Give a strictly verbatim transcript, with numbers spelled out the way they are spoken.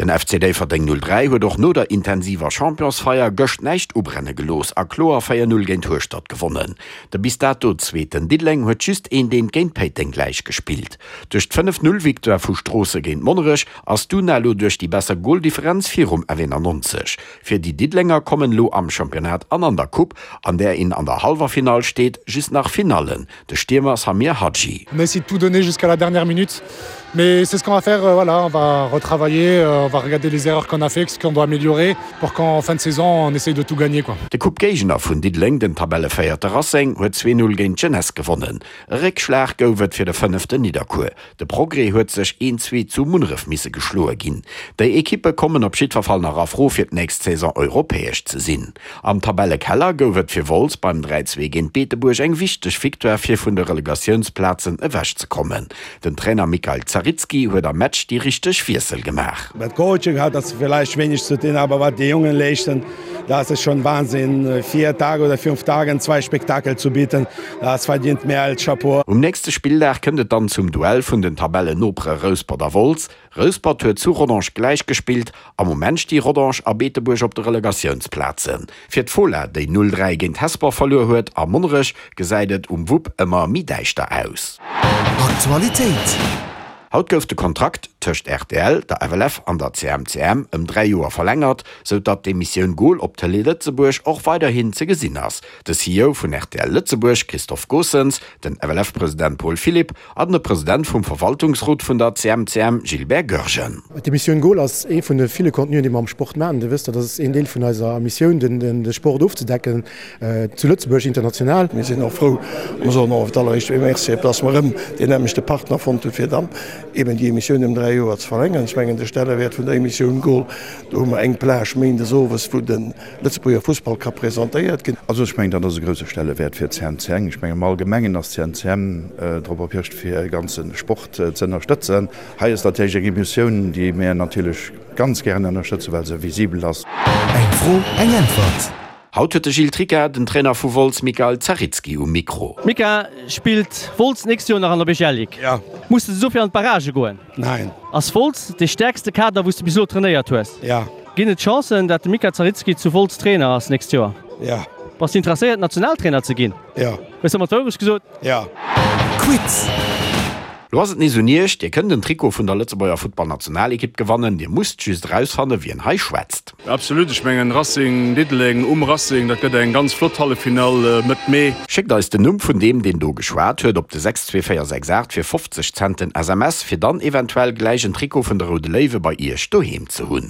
Den F C Déifferdeng null dräi huet och no der intensiver Championsfeier gëscht näischt ubrenne gelooss a kloer véier null géint Hueschtert gewonnen. De bis dato Zweeten Diddeleng huet just eent eent géint Péiteng gläich gespillt. Duerch d'fënnef null Victoire vu Stroossen géint Monnerech ass d'Una elo duerch déi besser Goldifferenz virum F eenannonzeg. Fir déi Diddelenger kommen elo am Championnat an an der Coupe, an där een an der hallwer Finall steet, just nach Finallen. De Stiermer Samir Hadji. On a essayé de tout donner jusqu'à la dernière minute. Mais c'est ce qu'on va faire, euh, voilà, on va retravailler, euh, on va regarder les erreurs qu'on a fait, ce qu'on doit améliorer pour qu'en fin de saison on essaye de tout gagner, quoi. De Coupe-Géigner vun Diddeleng, den Tabellevéierte Racing, huet zwee null géint d'Jeunesse gewonnen. E Réckschlag gouf et fir de Fënneften Nidderkuer. De Progrès huet sech een zwee zu Munneref misse geschloe ginn. Déi Ekippe kommen op jiddwer Fall nach a Fro fir d'nächst Saison europäesch ze sinn. Am Tabellekeller gouf et fir Wolz beim dräi zwee géint Beetebuerg eng wichteg Victoire fir vun de Relegatiounsplazen ewechzekommen. Den Trainer Mikael Zaritski huet am Match déi richteg Wiessel gemaach. Mit Coaching hat das vielleicht wenig zu tun, aber was die Jungen leisten, das ist schon Wahnsinn. Vier Tage oder fünf Tage zwei Spektakel zu bieten, das verdient mehr als Chapeau. Um nächste Spilldag kënnt et dann zum Duell vun den Tabellennopere Rouspert a Wolz. Rouspert huet zu Rodange gläich gespillt, am Moment sti Rodange a Beetebuerg op de Relegatiounsplazen. Fir d'Fola, déi null dräi géint Hesper verluer huet a Monnerech, gesäit et um Wupp ëmmer méi däischter aus. Aktualitéit. Haut gouf de Kontrakt tëscht R T L, der F L F an der C M C M ëm dräi Joer verlängert, sou datt d'Emissioun Goal op Tëlee Lëtzebuerg och weiderhin ze gesinn ass. De C E O vun R T L Lëtzebuerg, Christophe Goossens, den F L F-President Paul Philipp an de President vum Verwaltungsrot vun der C M C M, Gilbert Goergen. D'Emissioun Goal ass ee vun de ville Contenuen, déi mer am Sport maachen. Dir wësst, dat ass een Deel vun eiser Missioun, den, den, de Sport ofzedecken äh, zu Lëtzebuerg, international. Mir sinn och frou, mir soen och alleréischt Merci, dass mer erëm deen nämmlechte Partner fonnt hu fir dann eben déi Emissioun ëm dräi Joer ze verlängeren. Ech mengen, de Stellewäert vun der Emissioun Goal, do hu mer eng Plage méindes owes, wou de Lëtzebuerger Fussball ka presentéiert ginn. Also ech mengen, dat ass e grousse Stellewäert fir C M C M. Ech mengen, am Allgemengen ass C M C M äh, drop erpicht fir ganze Sport äh, ze ënnerstëtzen. Hei ass natierlech eng Emissioun, déi mir natierlech ganz gären ënnerstëtzen, well se visibel ass. Eng Fro, eng Äntwert. Haut huet de Gilles Tricca den Trainer vu Wolz Mikael Zaritski um Mikro. Mika, spillt Wolz nächst Joer nach an der B G L Ligue? Ja. Muss de dofir an d'Barragë goen? Nein. Ass Wolz de stäerkste Kader, wou s de bis elo trainéiert hues? Ja. Ginn et Chancen, datt de Mika Zaritski zu Wolz Trainer ass nächst Joer? Ja. Bass de interesséiert, Nationaltrainer ze ginn? Ja. Hues de mer d'Wourecht gesot? Ja. Quiz. Lo ass et nees un iech, Dir kënnt den Trikot vun der Lëtzebuerger Futtballnationalekipp gewannen, Dir musst just erausfannen, wien hei schwätzt. Absolut, ech mengen Racing Diddeleng um Racing, dat gëtt eng ganz flott Halleffinall Mëtt Mee. Schéckt eis den Numm vun deem, deen do geschwat huet, op de sechs zwee véier sechs aacht fir fofzeg Cent den S M S, fir dann eventuell gläich en Trikot vun de Roude Léiwe bei iech doheem ze hunn.